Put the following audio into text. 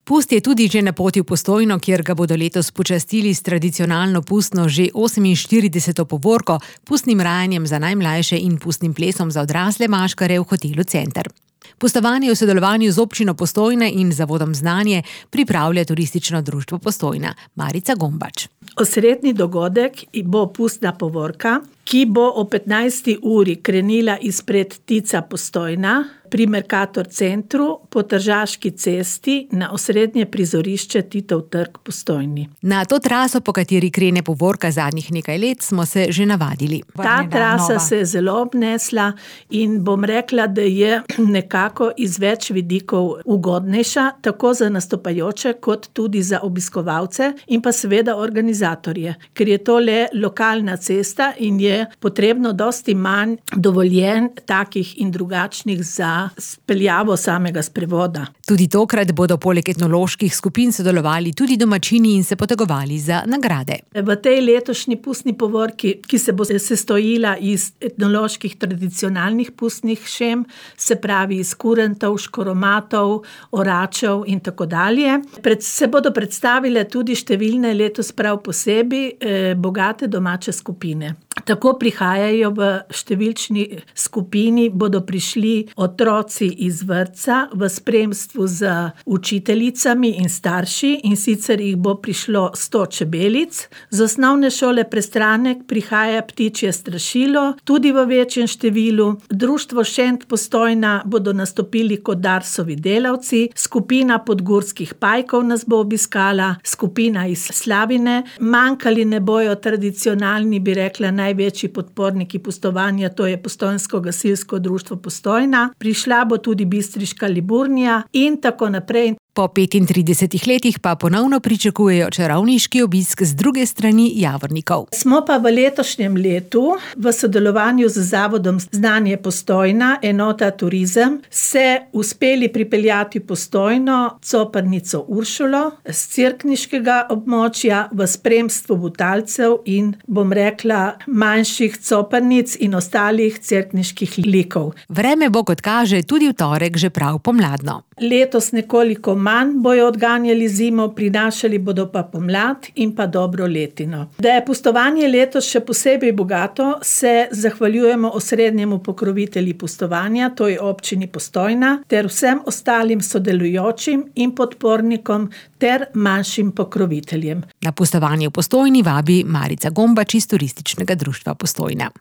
Pust je tudi že na poti v Postojno, kjer ga bodo letos počastili s tradicionalno pustno že 48. povorko, pustnim rajanjem za najmlajše in pustnim plesom za odrasle maškare v hotelu Center. Pustovanje v sodelovanju z občino Postojna in zavodom Znanje pripravlja Turistično društvo Postojna. Marica Gombač. Osrednji dogodek bo pustna povorka, ki bo o 15. uri krenila izpred Tica Postojna pri Mercator centru po Tržaški cesti na osrednje prizorišče Titov trg Postojni. Na to traso, po kateri krene povorka zadnjih nekaj let, smo se že navadili. Ta trasa se je zelo obnesla in bom rekla, da je nekako iz več vidikov ugodnejša, tako za nastopajoče kot tudi za obiskovalce in pa seveda organizatorje, ker je to le lokalna cesta in je potrebno dosti manj dovoljen takih in drugačnih za speljavo samega sprevoda. Tudi tokrat bodo poleg etnoloških skupin sodelovali tudi domačini in se potegovali za nagrade. V tej letošnji pustni povorki, ki se bo sestojila iz etnoloških tradicionalnih pustnih šem, se pravi iz kurentov, škoromatov, oračev in tako dalje, se bodo predstavile tudi številne letos prav posebej bogate domače skupine. Tako prihajajo v številčni skupini, bodo prišli otroci iz vrtca v spremstvu z učiteljicami in starši, in sicer jih bo prišlo 100 čebelic. Z osnovne šole Prestranek prihaja Ptičje strašilo, tudi v večjem številu. Društvo Šent Postojna bodo nastopili kot Darsovi delavci, skupina podgurskih pajkov nas bo obiskala, skupina iz Slavine. Manjkali ne bojo tradicionalni, bi rekla, največji podporniki pustovanja, to je Postojnsko gasilsko društvo Postojna. Prišla bo tudi Bistriška Liburnija in tako naprej. Po 35 letih pa ponovno pričakujejo čarovniški obisk z druge strani Javornikov. Smo pa v letošnjem letu v sodelovanju z zavodom Znanje Postojna, enota Turizem, se uspeli pripeljati Postojno coprnico Uršulo z cerkniškega območja v spremstvu Butalcev in, bom rekla, manjših coprnic in ostalih cerkniških likov. Vreme bo, kot kaže, tudi v torek že prav pomladno. Letos nekoliko manj bojo odganjali zimo, prinašali bodo pa pomlad in pa dobro letino. Da je pustovanje letos še posebej bogato, se zahvaljujemo osrednjemu pokrovitelji pustovanja, to je občini Postojna, ter vsem ostalim sodelujočim in podpornikom ter manjšim pokroviteljem. Na pustovanje v Postojni vabi Marica Gombač iz Turističnega društva Postojna.